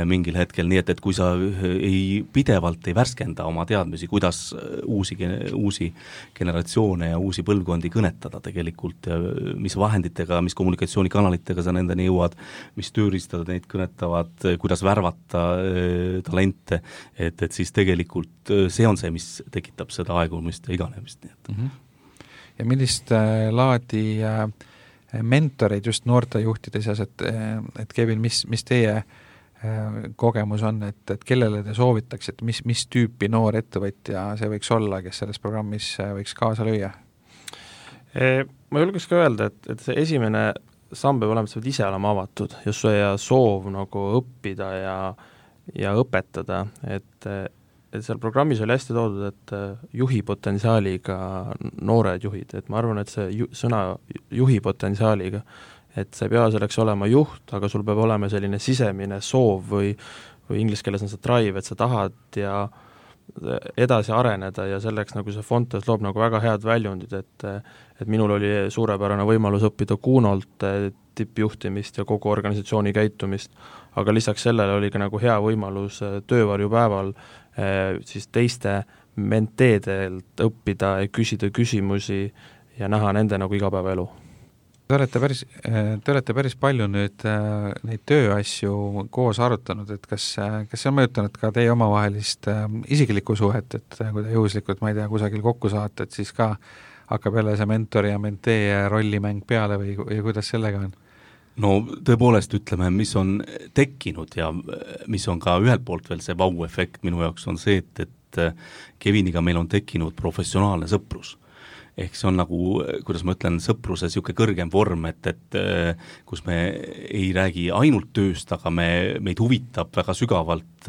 mingil hetkel, nii et, et kui sa ei, pidevalt ei värskenda oma teadmisi, kuidas uusi, uusi generatsioone ja uusi põlvkondi kõnetada tegelikult ja mis vahenditega, mis kommunikatsioonikanalitega sa nendeni jõuad, mis tööriistad neid kõnetavad, kuidas värvata äh, talente, et, et siis tegelikult see on see, mis tekitab seda aegumist ja iganemist, nii et mm-hmm. Ja millist äh, laadi äh, mentoreid just noortejuhtide seas, et, et Kevin, mis, mis teie äh, kogemus on, et, et kellele te soovitaks, et mis, mis tüüpi noor ettevõtja see võiks olla, kes selles programmis võiks kaasa lüüa? Ma julgeks ka öelda, et, et see esimene samm peab olema, et sa pead ise olema avatud ja see soov nagu õppida ja, ja õpetada, et et seal programmis oli hästi toodud, et juhi potentsiaaliga noored juhid, et ma arvan, et see ju, sõna juhi potentsiaaliga, et sa ei pea selleks olema juht, aga sul peab olema selline sisemine soov või, või inglise keeles on see drive, et sa tahad ja edasi areneda ja selleks nagu see Fontes loob nagu väga head väljundid, et, et minul oli suurepärane võimalus õppida Kuunolt tippjuhtimist ja kogu organisatsiooni käitumist, aga lisaks sellele oli ka nagu hea võimalus töövarjupäeval siis teiste menteedelt õppida ja küsida küsimusi ja näha nende nagu igapäevaelu. Te olete päris, te olete päris palju nüüd neid tööasju koos arutanud, et kas, kas see on mõjutanud ka teie omavahelist isiklikku suhet, et kui te juhuslikult, ma ei tea, kusagil kokku saate, et siis ka hakkab jälle see mentori ja mentee rollimäng peale või, või kuidas sellega on? No tõepoolest ütleme, mis on tekkinud ja mis on ka ühelt poolt veel see vau-efekt minu jaoks on see, et, et Keviniga meil on tekkinud professionaalne sõprus. Ehk see on nagu, kuidas ma ütlen, sõpruse niisugune kõrgem vorm, et, et kus me ei räägi ainult tööst, aga me, meid huvitab väga sügavalt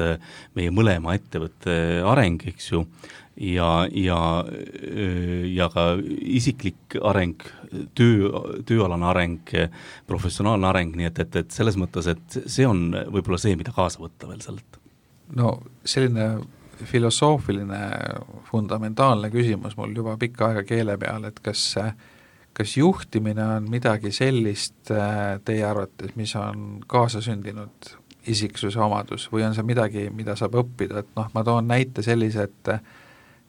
meie mõlema ettevõtte areng, eks ju, ja, ja, ja ka isiklik areng, töö, tööalane areng, professionaalne areng, nii et, et, et selles mõttes, et see on võib-olla see, mida kaasa võtta veel sellelt. No selline filosoofiline, fundamentaalne küsimus mul juba pikka aega keele peal, et kas, kas juhtimine on midagi sellist teie arvates, mis on kaasasündinud isiksuse omadus või on see midagi, mida saab õppida, et noh, ma toon näite sellise, et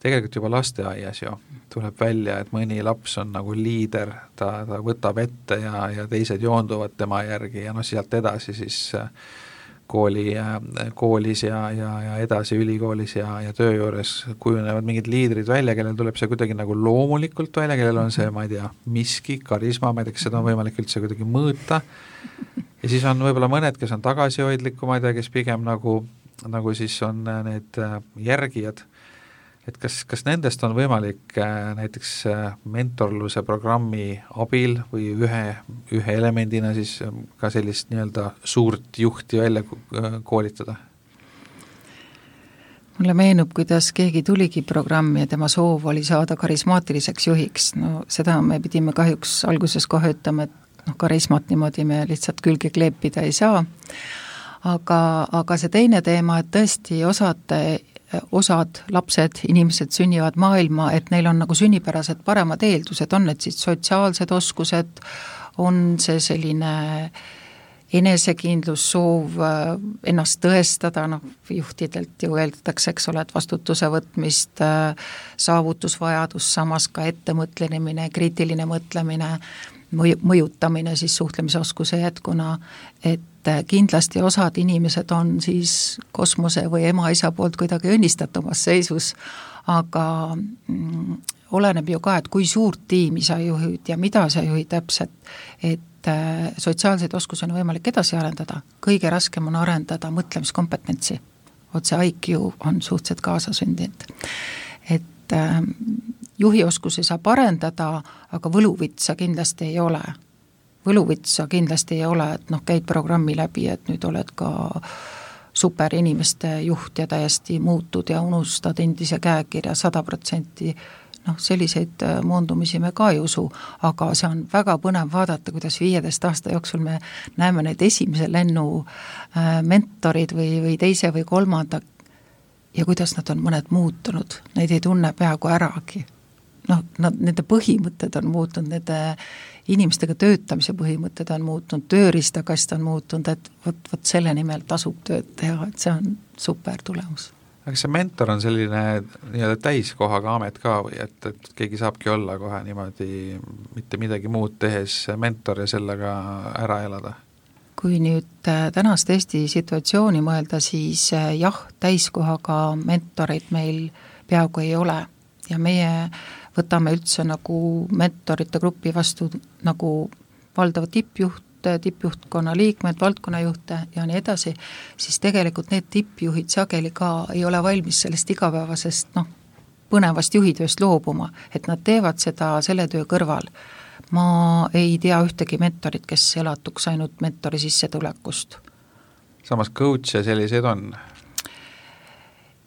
tegelikult juba lasteaias ju tuleb välja, et mõni laps on nagu liider, ta, ta võtab ette ja, ja teised joonduvad tema järgi ja noh, sealt edasi siis kooli, koolis ja, ja, ja edasi ülikoolis ja, ja töö juures kujunevad mingid liidrid välja, kellel tuleb see kuidagi nagu loomulikult välja, kellel on see, ma ei tea, miski, karisma, ma ei tea, kas seda on võimalik üldse kuidagi mõõta ja siis on võib-olla mõned, kes on tagasihoidliku, ma ei tea, kes pigem nagu, nagu siis on need järgijad. Et kas, kas nendest on võimalik äh, näiteks äh, mentorluse programmi abil või ühe, ühe elemendina siis äh, ka sellist nii-öelda suurt juhti välja äh, koolitada? Mulle meenub, kuidas keegi tuligi programmi ja tema soov oli saada karismaatiliseks juhiks. No seda me pidime kahjuks alguses kohe ütlema, et noh, karismat niimoodi me lihtsalt külge kleepida ei saa. Aga, aga see teine teema, et tõesti osad osad lapsed, inimesed sünnivad maailma, et neil on nagu sünnipärased paremad eeldused, on need siis sotsiaalsed oskused, on see selline enesekindlus, soov ennast tõestada, noh, juhtidelt ju eeldatakse, eks ole, et vastutuse võtmist, saavutusvajadus, samas ka ettemõtlemine, kriitiline mõtlemine, mõju, mõjutamine siis suhtlemisoskuse jätkuna, et kindlasti osad inimesed on siis kosmose või ema-isa poolt kuidagi õnnistatumas seisus, aga mm, oleneb ju ka, et kui suurt tiimi sa juhid ja mida sa juhid täpselt, et sotsiaalseid oskusi on võimalik edasi arendada, kõige raskem on arendada mõtlemiskompetentsi. Otse I Q on suhteliselt kaasasündinud. Et äh, juhioskusi saab arendada, aga võluvitsa kindlasti ei ole. Võluvitsa kindlasti ei ole, et noh, käid programmi läbi, et nüüd oled ka super inimeste juht ja täiesti muutud ja unustad endise käekirja sada protsenti. Noh, selliseid moondumisi me ka ei usu, aga see on väga põnev vaadata, kuidas viieteist aasta jooksul me näeme need esimese lennu mentorid või, või teise või kolmanda ja kuidas nad on mõned muutunud, neid ei tunne peaaegu äragi. Noh, nad, nende põhimõtted on muutunud, nende inimestega töötamise põhimõtted on muutunud, tööriistakast on muutunud, et võt, võt selle nimel tasub tööd teha, et see on super tulemus. Aga see mentor on selline nii-öelda täiskohaga amet ka või et, et keegi saabki olla kohe niimoodi mitte midagi muud tehes mentor ja sellega ära elada? Kui nüüd tänast Eesti situatsiooni mõelda, siis jah, täiskohaga mentoreid meil peaaegu ei ole ja meie võtame üldse nagu mentorite grupi vastu nagu valdava tippjuht, tippjuhtkonna liikmed, valdkonnajuhte ja nii edasi, siis tegelikult need tippjuhid sageli ka ei ole valmis sellest igapäevasest noh, põnevast juhitööst loobuma, et nad teevad seda selle töö kõrval. Ma ei tea ühtegi mentorit, kes elatuks ainult mentori sissetulekust. Samas coach ja selliseid on?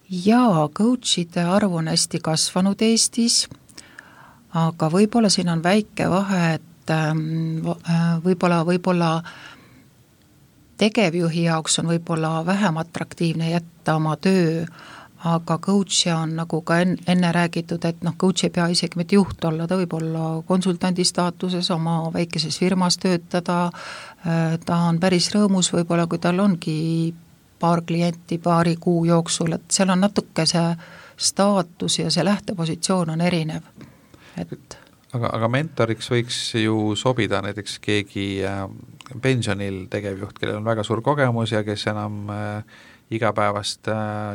Jaa, coachide arv on hästi kasvanud Eestis, aga võib-olla siin on väike vahe, et võib-olla, võib-olla tegevjuhi jaoks on võib-olla vähem atraktiivne jätta oma töö, aga coach on nagu ka enne räägitud, et noh, coach ei pea isegi mitte juht olla, ta võib olla konsultandi staatuses oma väikeses firmas töötada, ta on päris rõõmus võib-olla, kui tal ongi paar klienti paari kuu jooksul, et seal on natuke see staatus ja see lähtepositsioon on erinev, et Aga, aga mentoriks võiks ju sobida näiteks keegi pensionil tegevjuht, kellel on väga suur kogemus ja kes enam igapäevast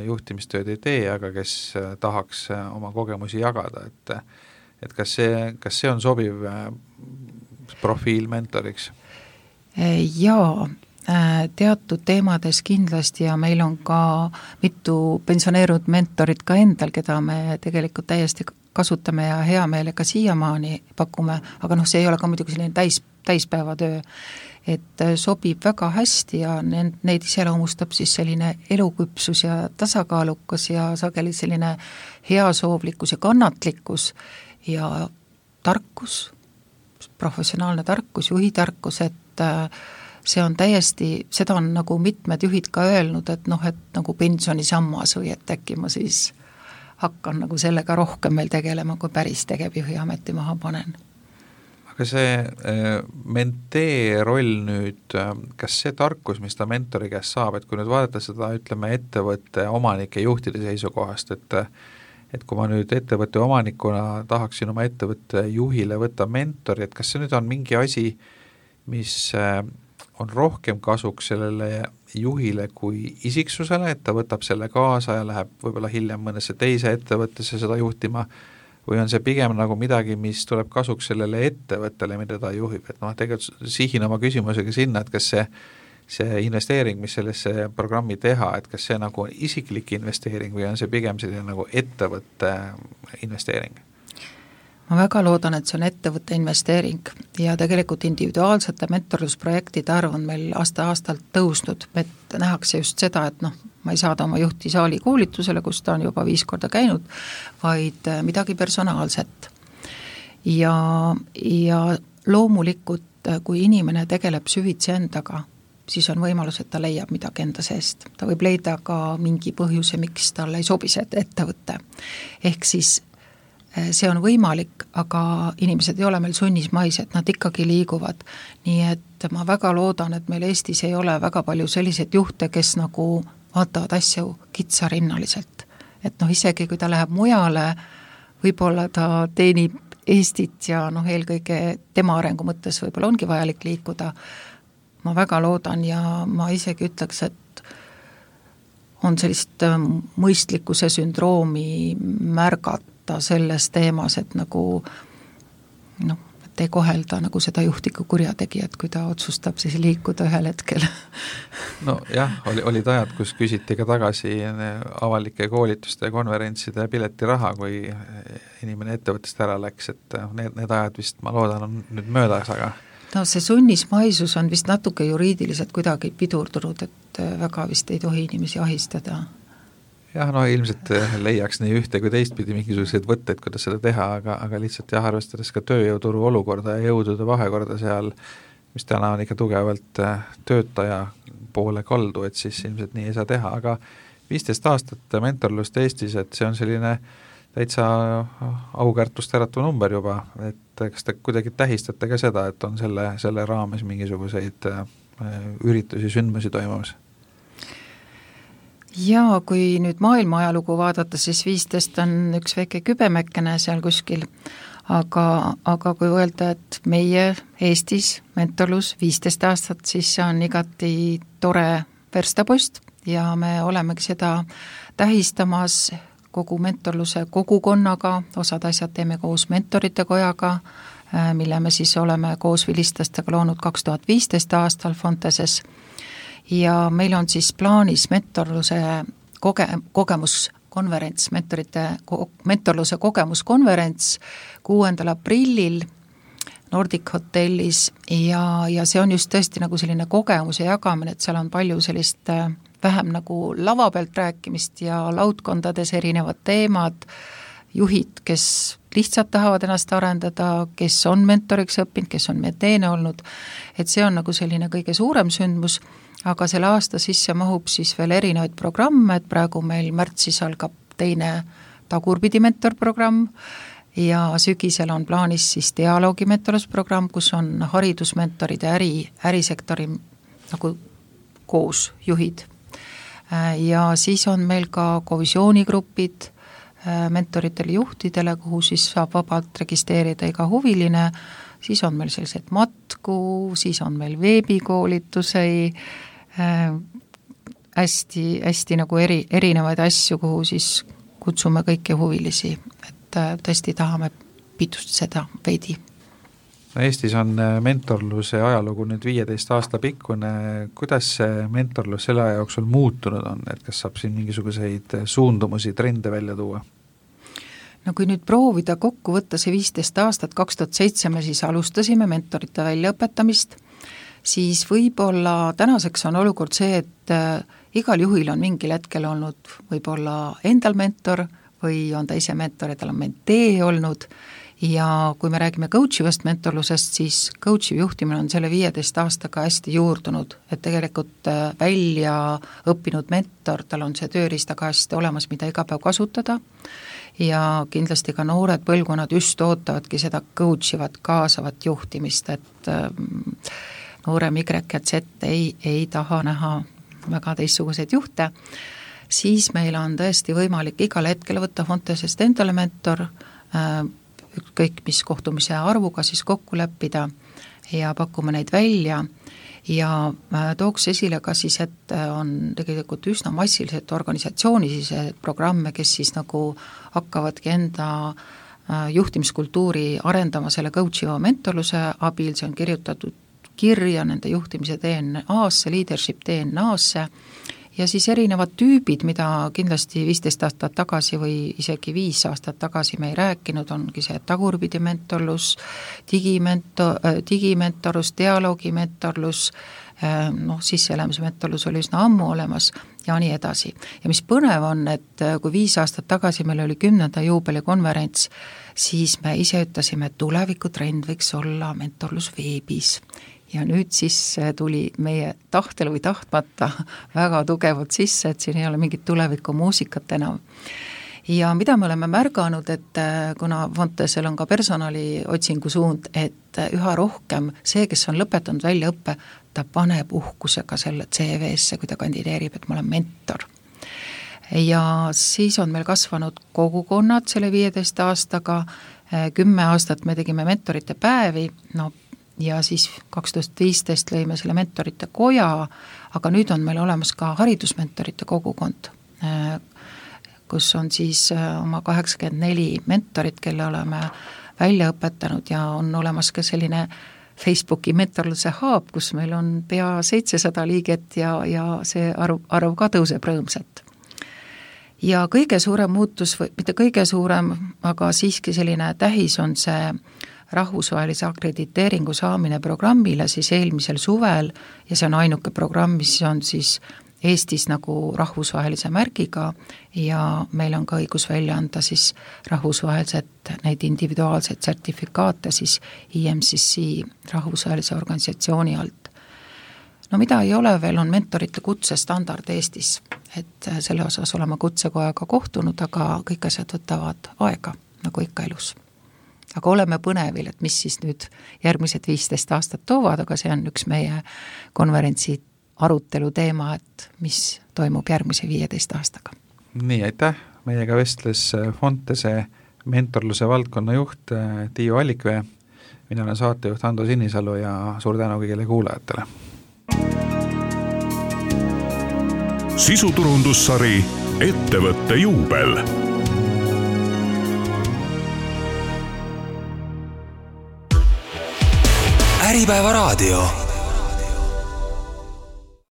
juhtimistööd ei tee, aga kes tahaks oma kogemusi jagada, et, et kas see, kas see on sobiv profiil mentoriks? Jaa, teatud teemades kindlasti ja meil on ka mitu pensioneerunud mentorit ka endal, keda me tegelikult täiesti kasutame ja hea meelega siiamaani pakume, aga noh, see ei ole ka muidugi selline täis, täispäevatöö, et sobib väga hästi ja neid iseloomustab siis selline eluküpsus ja tasakaalukas ja sageli selline heasoovlikkus ja kannatlikkus ja tarkus, professionaalne tarkus, juhitarkus, et see on täiesti, seda on nagu mitmed juhid ka öelnud, et noh, et nagu pensionisammas või et äkki ma siis hakkan nagu sellega rohkem meil tegelema, kui päris tegevjuhi ameti maha panen. Aga see mentee roll nüüd, kas see tarkus, mis ta mentori käest saab, et kui nüüd vaadata seda, ütleme, ettevõtte omanike juhtide seisukohast, et et kui ma nüüd ettevõtte omanikuna tahaksin oma ettevõtte juhile võtta mentori, et kas see nüüd on mingi asi, mis on rohkem kasuks sellele juhile kui isiksusele, et ta võtab selle kaasa ja läheb võib-olla hiljem mõnesse teise ettevõttesse seda juhtima, või on see pigem nagu midagi, mis tuleb kasuks sellele ettevõttele, mida ta juhib, et noh, tegelikult sihin oma küsimusega sinna, et kas see, see investeering, mis sellesse programmi teha, et kas see nagu on isiklik investeering või on see pigem selline nagu ettevõtte investeering? Ma väga loodan, et see on ettevõtte investeering ja tegelikult individuaalsete mentorlusprojektide arv on meil aasta-aastalt tõusnud, et nähakse just seda, et noh, ma ei saada oma juhti saali koolitusele, kus ta on juba viis korda käinud, vaid midagi personaalset. Ja, ja loomulikult, kui inimene tegeleb süvitsi endaga, siis on võimalus, et ta leiab midagi enda seest. Ta võib leida ka mingi põhjuse, miks talle ei sobi see ettevõtte. Ehk siis see on võimalik, aga inimesed ei ole meil sunnismaised, nad ikkagi liiguvad. Nii et ma väga loodan, et meil Eestis ei ole väga palju selliseid juhte, kes nagu vaatavad asju kitsarinnaliselt. Et noh, isegi kui ta läheb mujale, võib-olla ta teenib Eestit ja noh, eelkõige tema arengu mõttes võib-olla ongi vajalik liikuda. Ma väga loodan ja ma isegi ütleks, et on sellist mõistlikkuse sündroomi märgata selles teemas, et nagu noh, et ei kohelda nagu seda juhtiku kurjategijat, kui ta otsustab siis liikuda ühel hetkel. No jah, oli, olid ajad, kus küsiti ka tagasi avalike koolituste ja konverentside piletiraha, kui inimene ettevõttest ära läks, et need, need ajad vist, ma loodan, on nüüd möödas, aga no see sunnismaisus on vist natuke juriidiliselt kuidagi pidurdunud, et väga vist ei tohi inimesi ahistada. Jah, no ilmselt leiaks nii ühte kui teistpidi mingisuguseid võtteid, kuidas seda teha, aga, aga lihtsalt jah, arvestades ka tööjõuturu olukorda ja jõudude vahekorda seal, mis täna on ikka tugevalt töötaja poole kaldu, et siis ilmselt nii ei saa teha, aga viisteist aastat mentorlust Eestis, et see on selline täitsa aukärtust äratu number juba, et kas te kuidagi tähistate ka seda, et on selle, selle raames mingisuguseid üritusi, sündmusi toimumas? Jaa, kui nüüd maailma ajalugu vaadata, siis viisteist on üks väike kübemekkene seal kuskil, aga, aga kui öelda, et meie Eestis mentorlus viisteist aastat, siis see on igati tore verstapost ja me olemegi seda tähistamas kogu mentorluse kogukonnaga, osad asjad teeme koos mentorite kojaga, mille me siis oleme koos vilistlastega loonud kaks tuhat viisteist aastal Fonteses ja meil on siis plaanis mentorluse koge-, kogemuskonverents, mentorite, mentorluse kogemuskonverents kuuendal aprillil Nordic hotellis ja, ja see on just tõesti nagu selline kogemuse jagamine, et seal on palju sellist vähem nagu lava pealt rääkimist ja laudkondades erinevad teemad, juhid, kes lihtsalt tahavad ennast arendada, kes on mentoriks õppinud, kes on meteene olnud, et see on nagu selline kõige suurem sündmus, aga selle aasta sisse mahub siis veel erinevaid programme, et praegu meil märtsis algab teine tagurpidi mentorprogramm ja sügisel on plaanis siis dialoogi mentorlusprogramm, kus on haridusmentorid ja äri, ärisektori nagu koos juhid. Ja siis on meil ka kovisioonigrupid mentoritele juhtidele, kuhu siis saab vabalt registreerida iga huviline, siis on meil sellised matku, siis on meil veebikoolitusi, hästi, hästi nagu eri, erinevaid asju, kuhu siis kutsume kõiki huvilisi, et tõesti tahame pitustada veidi. Eestis on mentorluse ajalugu nüüd viieteist aasta pikkune, kuidas see mentorlus selle aja jooksul muutunud on, et kas saab siin mingisuguseid suundumusi, trende välja tuua? No kui nüüd proovida kokku võtta see viisteist aastat, kaks tuhat seitse me siis alustasime mentorite väljaõpetamist, siis võib-olla tänaseks on olukord see, et igal juhil on mingil hetkel olnud võib-olla endal mentor või on ta ise mentor ja tal on mentee olnud. Ja kui me räägime coachivast mentorlusest, siis coachiv juhtimine on selle viieteist aastaga hästi juurdunud, et tegelikult välja õppinud mentor, tal on see tööriistakast olemas, mida iga päev kasutada ja kindlasti ka noored põlvkonnad just ootavadki seda coachivat, kaasavat juhtimist, et noorem Y ja Z ei, ei taha näha väga teistsuguseid juhte, siis meil on tõesti võimalik igal hetkel võtta Fontesest endale mentor, kõik, mis kohtumise arvuga siis kokku leppida ja pakume neid välja ja tooks esile ka siis, et on tegelikult üsna massiliselt organisatsioonisiseid programme, kes siis nagu hakkavadki enda juhtimiskultuuri arendama selle coachiva mentorluse abil, see on kirjutatud kirja nende juhtimise D N A-sse, leadership D N A-sse ja siis erinevad tüübid, mida kindlasti viisteist aastat tagasi või isegi viis aastat tagasi me ei rääkinud, ongi see tagurpidi mentorlus, digimento-, digimentorlus, dialoogimentorlus, noh, sisseelamise mentorlus oli üsna ammu olemas ja nii edasi. Ja mis põnev on, et kui viis aastat tagasi meil oli kümnenda juubelikonverents, siis me ise ütlesime, et tulevikutrend võiks olla mentorlus veebis. Ja nüüd siis tuli meie tahtel või tahtmata väga tugevalt sisse, et siin ei ole mingit tuleviku muusikat enam. ja mida me oleme märganud, et kuna Fontesel on ka personali otsingu suund, et üha rohkem see, kes on lõpetanud väljaõppe, ta paneb uhkusega selle C V-sse, kui ta kandideerib, et ma olen mentor. Ja siis on meil kasvanud kogukonnad selle viieteist aastaga, kümme aastat me tegime mentorite päevi, no ja siis kaks tuhat viisteist lõime selle mentorite koja, aga nüüd on meil olemas ka haridusmentorite kogukond, kus on siis oma kaheksakümmend neli mentorit, kelle oleme välja õpetanud ja on olemas ka selline Facebooki mentorluse hub, kus meil on pea seitsesada liiget ja, ja see arv, arv ka tõuseb rõõmsalt. Ja kõige suurem muutus, või mitte kõige suurem, aga siiski selline tähis on see rahvusvahelise akrediteeringu saamine programmile siis eelmisel suvel ja see on ainuke programm, mis on siis Eestis nagu rahvusvahelise märgiga ja meil on ka õigus välja anda siis rahvusvaheliselt neid individuaalseid sertifikaate siis I M C C rahvusvahelise organisatsiooni alt. No mida ei ole veel, on mentorite kutsestandard Eestis, et selle osas oleme kutsekojaga kohtunud, aga kõik asjad võtavad aega, nagu ikka elus. Aga oleme põnevil, et mis siis nüüd järgmised viisteist aastat toovad, aga see on üks meie konverentsi arutelu teema, et mis toimub järgmise viieteist aastaga. Nii, aitäh! Meiega vestles Fontese mentorluse valdkonna juht Tiiu Allikvee, mina olen saatejuht Hando Sinisalu ja suur tänu kõigile kuulajatele. Sisuturundussari Ettevõtte juubel. Äripäeva raadio.